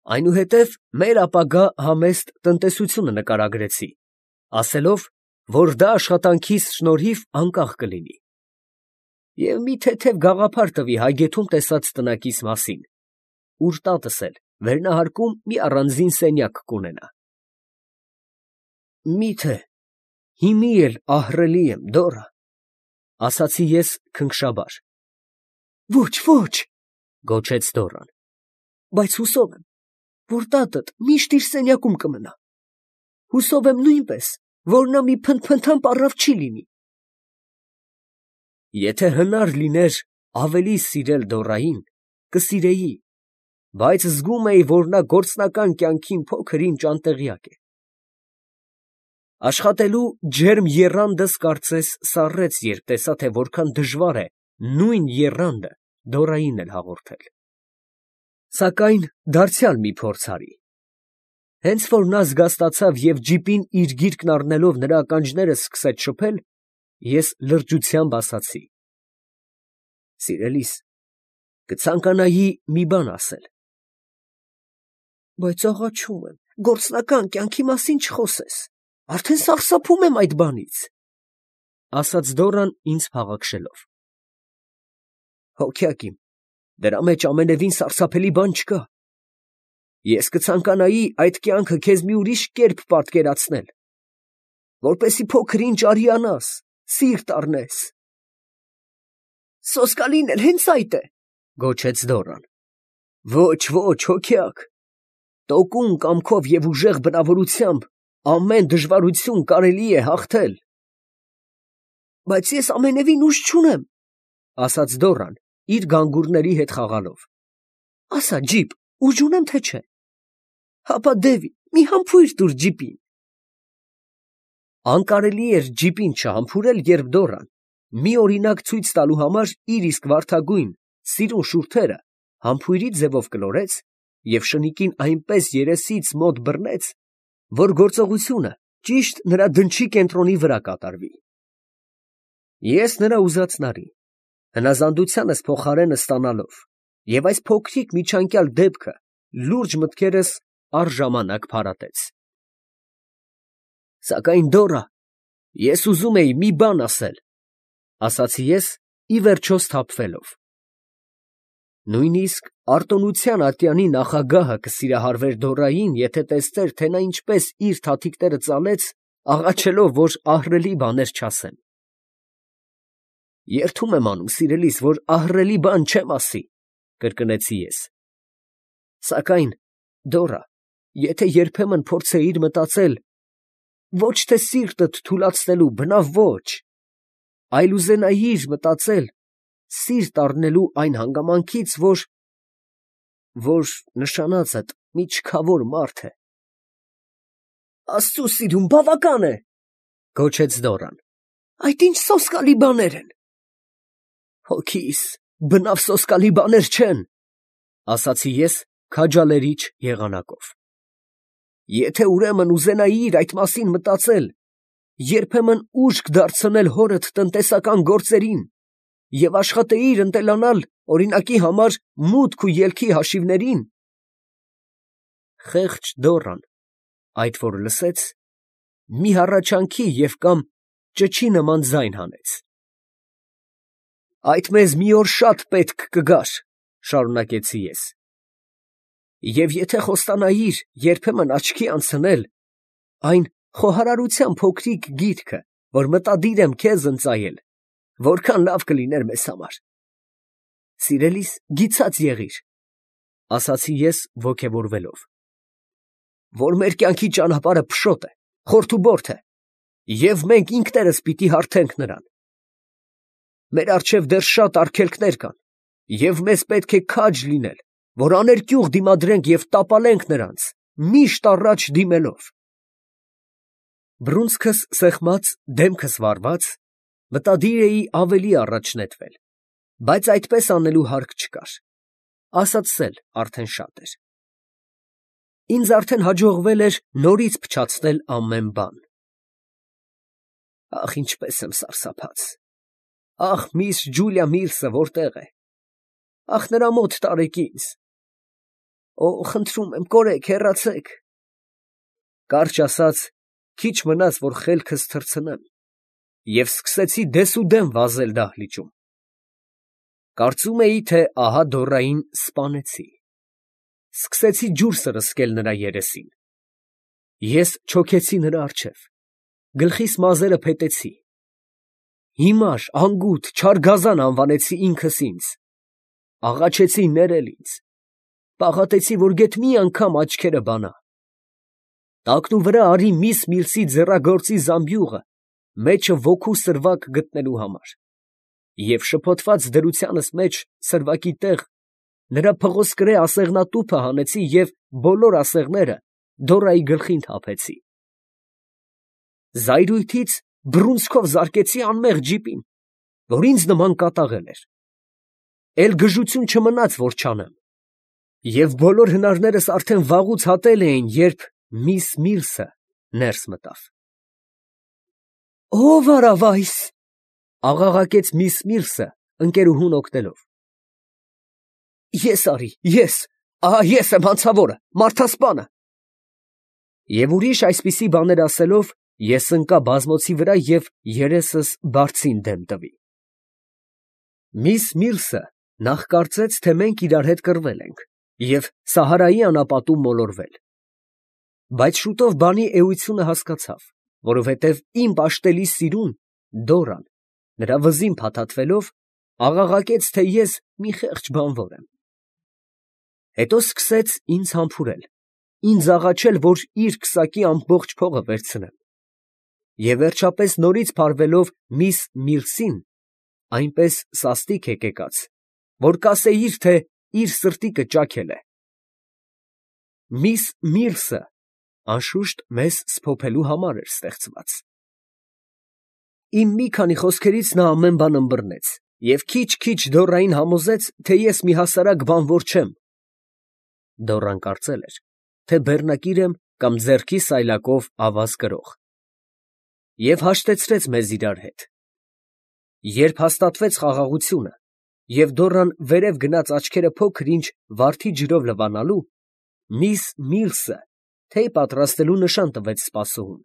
Այնուհետև մեր ապագա համեստ տնտեսությունը նկարագրեցի, ասելով, որ դա աշխատանքիս շնորհիվ անկախ կլինի։ Եվ մի թեթև գաղափար տվի Հայգեթում տեսած տնակիս մասին, ուր տատս էլ վերնահարկում մի առանձին սենյակ կունենա։ Միթե հիմի էլ ահռելի եմ, Դորա, ասացի ես քնքշաբար։ Ոչ, ոչ, գոչեց Դորան, բայց հուսով եմ, որ տատդ միշտ իր սենյակում կմնա։ Հուսով եմ նույնպես, որ նա մի փնթփնթան պառավ չի լինի։ Եթե հնար լիներ ավելի սիրել Դորային, կսիրեի, բայց զգում էի, որ նա գործնական կյանքին փոքր-ինչ անտեղյակ է։ Աշխատելու ջերմ եռանդս կարծես սառեց, երբ տեսա, թե որքան դժվար է նույն եռանդը Դորային էլ հաղորդել։ Սակայն դարձյալ մի փորձ արի։ Հենց որ նա զգաստացավ և ջիպին իր գիրկն առնելով նրա ականջները սկսեց շփել, ես լրջությամբ ասացի. Սիրելիս, կցանկանայի մի բան ասել։ Բայց աղաչում եմ, գործնական կյանքի մասին չխոսես, արդեն սարսափում եմ այդ բանից, ասաց Դորան ինձ փաղաքշելով։ Հոգյակ իմ, դրա մեջ ամենևին սարսափելի բան չկա։ Ես կցանկանայի այդ կյանքը քեզ մի ուրիշ կերպ պատկերացնել, որպեսզի փոքր-ինչ արիանաս, սիրտ առնես։ Սոսկալին էլ հենց այդ է, գոչեց Դորան։ Ոչ, ոչ, հոգյակ, տոկուն կամքով և ուժեղ բնավորությամբ ամեն դժվարություն կարելի է հաղթել։ Բայց ես ամենևին ուժ չունեմ, ասաց Դորան, իր գանգուրների հետ խաղալով։ Ասա, ջիպ, ուժ ունեմ թե չէ։ Հապա Դևի, մի համբույր տուր ջիպին։ Անկարելի էր ջիպին չհամբուրել, երբ Դորան, մի օրինակ ցույց տալու համար իր իսկ վարդագույն, սիրուն շուրթերը համբույրի ձևով կլորեց և շնիկին այնպես երեսից մոտ բռնեց, որ գործողությունը ճիշտ նրա դնչի կենտրոնի վրա կատարվի։ Ես նրա ուզածն արի, հնազանդությանս փոխարենը ստանալով, և այս փոքրիկ միջանկյալ դեպքը լուրջ մտքերս առժամանակ փարատեց։ Սակայն Դորա, ես ուզում էի մի բան ասել, ասացի ես, ի վերջո սթափվելով։ Նույնիսկ արտոնության ատյանի նախագահը կսիրահարվեր Դորային, եթե տեսներ, թե նա ինչպես իր թաթիկները ծալեց, աղաչելով, որ ահռելի բաներ չասեմ։ Երդում եմ անում, սիրելիս, որ ահռելի բան չեմ ասի, կրկնեցի ես։ Սակայն, Դորա, եթե երբեմն փորձեիր մտածել, ոչ թե սիրտդ թուլացնելու, բնավ ոչ, այլ ուզենայիր մտածել, սիրտ առնելու այն հանգամանքից, որ նշանածդ մի չքավոր մարդ է։ Աստծու սիրուն, բավական է, գոչեց Դորան։ Այդ ինչ սոսկալի բաներ են։ Հոգիս, բնավ սոսկալի բաներ չեն, ասացի ես քաջալերիչ եղանակով։ Եթե ուրեմն ուզենայիր այդ մասին մտածել, երբեմն ուշք դարձնել հորդ տնտեսական գործերին և աշխատեիր ընտելանալ օրինակի համար մուտք ու ելքի հաշիվներին, խեղճ Դորան, այդ որ լսեց, մի հառաչանքի և կամ ճչի նման ձայն հանեց։ Այդ մեզ մի օր շատ պետք կգար, շարունակեցի ես, և եթե խոստանայիր երբեմն աչքի անցնել այն խոհարարության փոքրիկ գիրքը, որ մտադիր եմ քեզ ընծայել, որքան լավ կլիներ մեզ համար։ Սիրելիս, գիցած եղիր, ասացի ես ոգևորվելով, որ մեր կյանքի ճանապարհը փշոտ է, խորթուբորթ է, և մենք ինքներս պիտի հարթենք նրան։ Մեր առջև դեռ շատ արգելքներ կան, և մեզ պետք է քաջ լինել, որ աներկյուղ դիմադրենք և տապալենք նրանց, միշտ առաջ դիմելով։ Բռունցքս սեղմած, դեմքս վառված, մտադիր էի ավելի առաջ նետվել, բայց այդպես անելու հարկ չկար, ասածս արդեն շատ էր։ Ինձ արդեն հաջողվել էր նորից փչացնել ամեն բան։ Ախ, ինչպես եմ սարսափած։ Ախ, միս Ջուլիա Միլսը որտե՞ղ է։ Ախ, նրա մոտ տարեք ինձ։ Օ, խնդրում եմ, կորեք, հեռացեք։ Կարճ ասած, քիչ մնաց, որ խելքս թռցնեմ, և սկսեցի դեսուդեն վազել դահլիճում։ Կարծում էի, թե ահա Դորային սպանեցի։ Սկսեցի ջուր սրսկել նրա երեսին։ Ես չոքեցի նրա առջև, գլխիս մազերը փետեցի։ Հիմար, անգութ, չար գազան անվանեցի ինքս ինձ։ Աղաչեցի ներել ինձ։ Պաղատեցի, որ գեթ մի անգամ աչքերը բանա։ Տակնու վրա արի Միս Միլսի ձեռագործի զամբյուղը, մեջը ոգու սրվակ գտնելու համար։ Եվ շփոթված դրությանս մեջ սրվակի տեղ նրա փղոսկրե ասեղնատուփը հանեցի և բոլոր ասեղները Դորայի գլխին թափեցի։ Զայրույթից բռունցքով զարկեցի անմեղ ջիպին, որ ինձ նման կատաղել էր։ Էլ գժություն չմնաց, որ չանեմ։ Եվ բոլոր հնարներս արդեն վաղուց հատել էին, երբ Միս Միլսը ներս մտավ։ «Ո՞վ արավ այս», աղաղակեց Միս Միլսը, ընկերուհուն օգնելով։ «Ես արի, ես, ահա ես եմ հանցավորը, մարդասպանը»։ Եվ ուրիշ այսպիսի բաներ ասելով, ես ընկա բազմոցի վրա և երեսս բարձին դեմ տվի։ Միս Միլսը նախ կարծեց, թե մենք իրար հետ կռվել ենք և Սահարայի անապատում մոլորվել։ Բայց շուտով բանի էությունը հասկացավ, որովհետև իմ պաշտելի սիրուն Դորան, նրա վզին փաթաթվելով, աղաղակեց, թե ես մի խեղճ բանվոր եմ։ Հետո սկսեց ինձ համբուրել, ինձ աղաչել, որ իր քսակի ամբողջ փողը վերցնեմ։ Եվ վերջապես նորից փարվելով Միս Միլսին, այնպես սաստիկ հեկեկաց, որ կասեիր, թե իր սրտիկը ճաքել է։ Միս Միլսը անշուշտ մեզ սփոփելու համար էր ստեղծված։ Իմ մի քանի խոսքերից նա ամեն բան ըմբռնեց և քիչ-քիչ Դորային համոզեց, թե ես մի հասարակ բանվոր չեմ։ Դորան կարծել էր, թե բեռնակիր եմ կամ ձեռքի սայլակով ավազ կրող, և հաշտեցրեց մեզ իրար հետ։ Երբ հաստատվեց խաղաղությունը, և Դորան վերև գնաց աչքերը փոքր-ինչ վարդի ջրով լվանալու, Միս Միլսը թեյ պատրաստելու նշան տվեց սպասուհուն։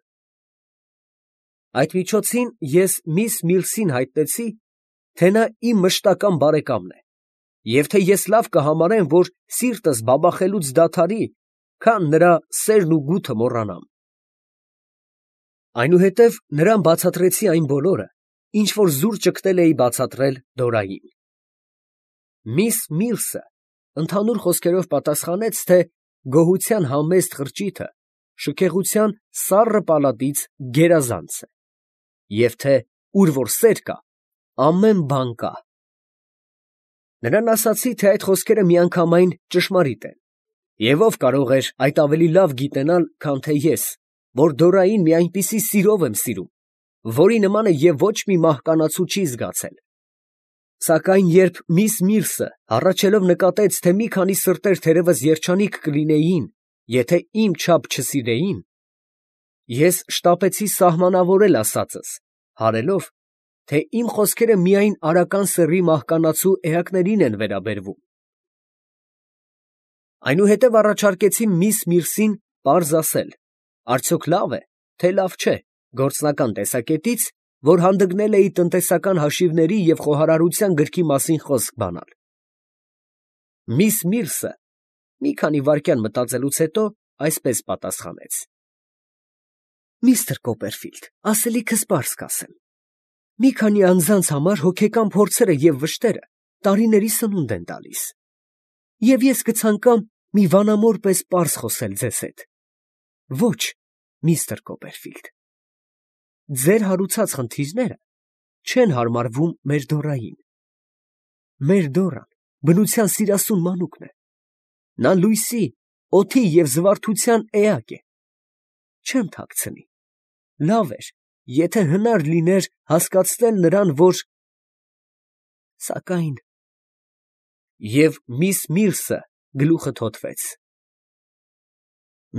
Այդ միջոցին ես Միս Միլսին հայտնեցի, թե նա իմ մշտական բարեկամն է, և թե ես լավ կհամարեմ, որ սիրտս բաբախելուց դադարի, քան նրա սերն ու գութը մոռանամ։ Այնուհետև նրան բացատրեցի այն բոլորը, ինչ որ զուր ճգնել էի բացատրել Դորային։ Միս Միլսը ընդհանուր խոսքերով պատասխանեց, թե գոհության համեստ խրճիթը շքեղության սառը պալատից գերազանց է, և թե ուր որ սեր կա, ամեն բան կա։ Նրան ասացի, թե այդ խոսքերը միանգամայն ճշմարիտ են, և ով կարող էր այդ ավելի լավ գիտենալ, քան թե ես, որ Դորային մի այնպիսի սիրով եմ սիրում, որի նմանը և ոչ մի մահկանացու չի զգացել։ Սակայն երբ Միս Միլսը հառաչելով նկատեց, թե մի քանի սրտեր թերևս երջանիկ կլինեին, եթե իմ չափ չսիրեին, ես շտապեցի սահմանավորել ասածս, հարելով, թե իմ խոսքերը միայն արական սեռի մահկանացու էակներին են վերաբերվում։ Այնուհետև առաջարկեցի Միս Միլսին պարզ ասել, արդյոք լավ է, թե լավ չէ, գործնական տեսակետից, որ հանդգնել էի տնտեսական հաշիվների և խոհարարության գրքի մասին խոսք բանալ։ Միս Միլսը մի քանի վայրկյան մտածելուց հետո այսպես պատասխանեց. «Միստր Կոպերֆիլդ, ասելիքս պարզ կասեմ. մի քանի անձանց համար հոգեկան փորձերը և վշտերը տարիների սնունդ են տալիս, և ես կցանկամ մի վանամոր պես պարզ խոսել ձեզ հետ։ Ոչ, միստր Կոպերֆիլդ, ձեր հարուցած խնդիրները չեն հարմարվում մեր Դորային։ Մեր Դորան բնության սիրասուն մանուկն է։ Նա լույսի, օդի և զվարթության էակ է։ Չեմ թաքցնի, լավ էր, եթե հնար լիներ հասկացնել նրան, որ… Սակայն… Եվ Միս Միլսը գլուխը թոթվեց։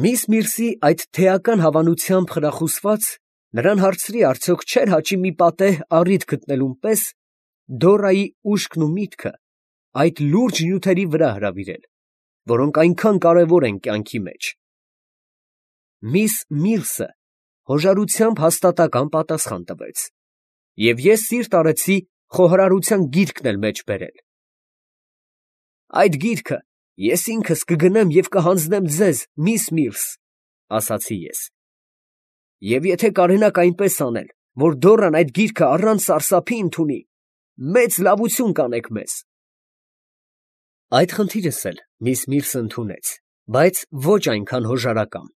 Միս Միլսի այդ թեական հավանությամբ խրախուսված, նրան հարցրի, արդյոք չէր հաճի մի պատեհ առիթ գտնելուն պես Դորայի ուշքն ու միտքը այդ լուրջ նյութերի վրա հրավիրել, որոնք այնքան կարևոր են կյանքի մեջ։ Միս Միլսը հոժարությամբ հաստատական պատասխան տվեց, և ես սիրտ արեցի խոհարարության գիրքն էլ մեջ բերել։ «Այդ գիրքը ես ինքս կգնեմ և կհանձնեմ ձեզ, միս Միլս, ֊ ասացի ես, ֊ և եթե կարենաք այնպես անել, որ Դոռան այդ գիրքը առանց սարսափի ընդունի, մեծ լավություն կանեք մեզ»։ Այդ խնդիրս էլ միս Միլսը ընդունեց, բայց ոչ այնքան հոժարակամ։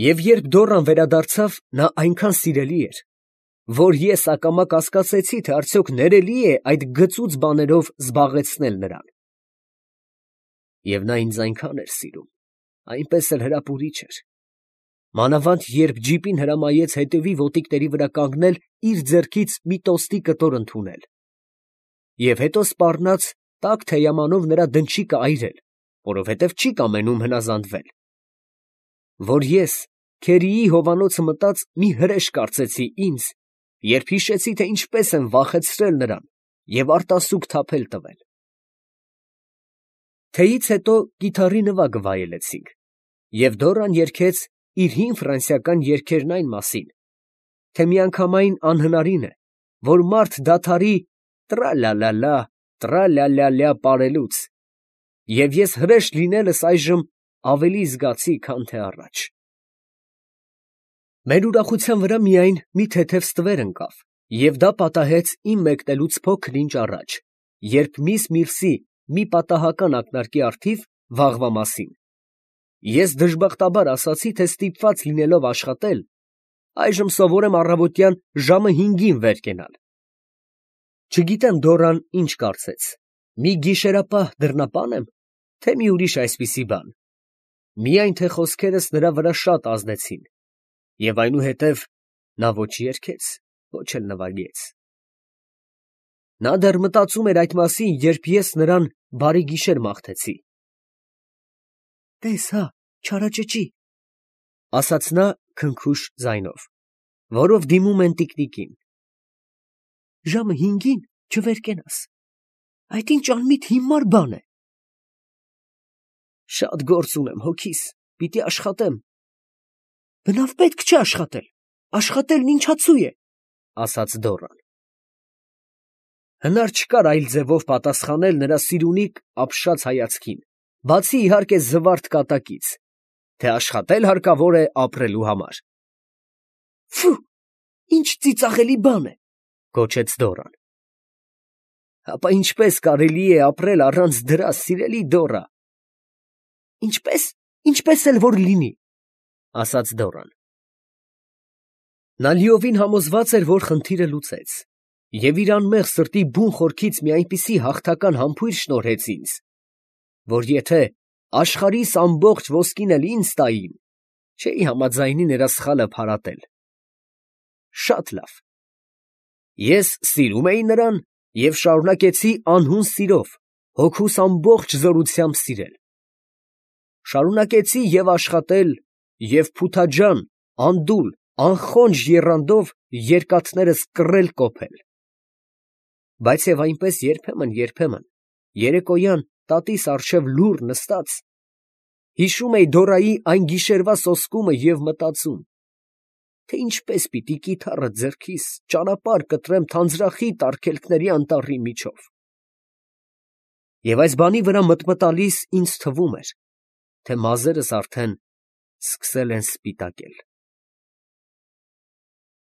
Եվ երբ Դոռան վերադարձավ, նա այնքան սիրելի էր, որ ես ակամա կասկածեցի, թե արդյոք ներելի է այդ գծուծ բաներով զբաղեցնել նրան։ Եվ նա ինձ այնքան էր սիրում, այնպես էլ հրապուրիչ էր։ Մանավանդ երբ ջիպին հրամայեց հետևի ոտիկների վրա կանգնել իր ձեռքից մի տոստի կտոր ընդունել, և հետո սպառնաց տաք թեյամանով նրա դնչիկը այրել, որովհետև չի կամենում հնազանդվել, որ ես Քերիի հովանոցը մտած մի հրեշ կարծեցի ինձ, երբ հիշեցի, թե ինչպես եմ վախեցրել նրան և արտասուք թափել տվել։ Թեյից հետո կիթառի նվագը վայելեցինք, և Դոռան երգեց իր հին ֆրանսիական երգերն այն մասին, թե միանգամայն անհնարին է, որ մարդ դադարի տռա֊լա֊լա֊լա, տռա֊լա֊լա֊լա պարելուց, և ես հրեշ լինելս այժմ ավելի զգացի, քան թե առաջ։ Մեր ուրախության վրա միայն մի թեթև ստվեր ընկավ, և դա պատահեց իմ մեկնելուց փոքր֊ինչ առաջ, երբ միս Միլսի մի պատահական ակնարկի առթիվ վաղվա մասին ես դժբախտաբար ասացի, թե ստիպված լինելով աշխատել, այժմ սովոր եմ առավոտյան ժամը 5-ին վեր կենալ։ Չգիտեմ Դոռան ինչ կարծեց, մի գիշերապահ դռնապա՞ն եմ, թե մի ուրիշ այսպիսի բան, միայն թե խոսքերս նրա վրա շատ ազդեցին, և այնուհետև նա ոչ երգեց, ոչ էլ նվագեց։ Նա դեռ մտածում էր այդ մասին, երբ ես նրան բարի գիշեր մաղթեցի։ «Տես հա, չարաճճի», ֊ ասաց նա քնքուշ ձայնով, որով դիմում են տիկնիկին։ «Ժամը 5-ին չվեր կենաս, այդ ինչ անմիտ հիմար բան է»։ «Շատ գործ ունեմ հոգիս, պիտի աշխատեմ»։ «Բնավ պետք չէ աշխատել, աշխատելն ինչացու է», ֊ ասաց Դոռան։ Հնար չկար այլ ձևով պատասխանել նրա սիրունիկ ապշած հայացքին, բացի իհարկե զվարթ կատակից, թե աշխատել հարկավոր է ապրելու համար։ «Ֆի, ինչ ծիծաղելի բան է», ֊ գոչեց Դոռան։ «Հապա ինչպես կարելի է ապրել առանց դրա, սիրելի Դոռա»։ «Ինչպես էլ որ լինի», ֊ ասաց Դոռան։ Նա լիովին համոզված էր, որ խնդիրը լուծեց, և իր անմեղ սրտի բուն խորքից մի այնպիսի հաղթական համբույր շնորհեց ինձ, որ եթե աշխարհիս ամբողջ ոսկին էլ ինձ տային, չէի համաձայնի նրա սխալը փարատել։ Շատ լավ։ Ես սիրում էի նրան և շարունակեցի անհուն սիրով, հոգուս ամբողջ զորությամբ սիրել։ Շարունակեցի և աշխատել, և փութաջան, անդուլ, անխոնջ եռանդով երկաթներս կռել֊կոփել։ Բայց և այնպես երբեմն, երեկոյան տատիս առջև լուռ նստած, հիշում էի Դոռայի այն գիշերվա սոսկումը և մտածում, թե ինչպես պիտի կիթառը ձեռքիս ճանապարհ կտրեմ թանձրախիտ արգելքների անտառի միջով։ Եվ այս բանի վրա մտմտալիս ինձ թվում էր, թե մազերս արդեն սկսել են սպիտակել։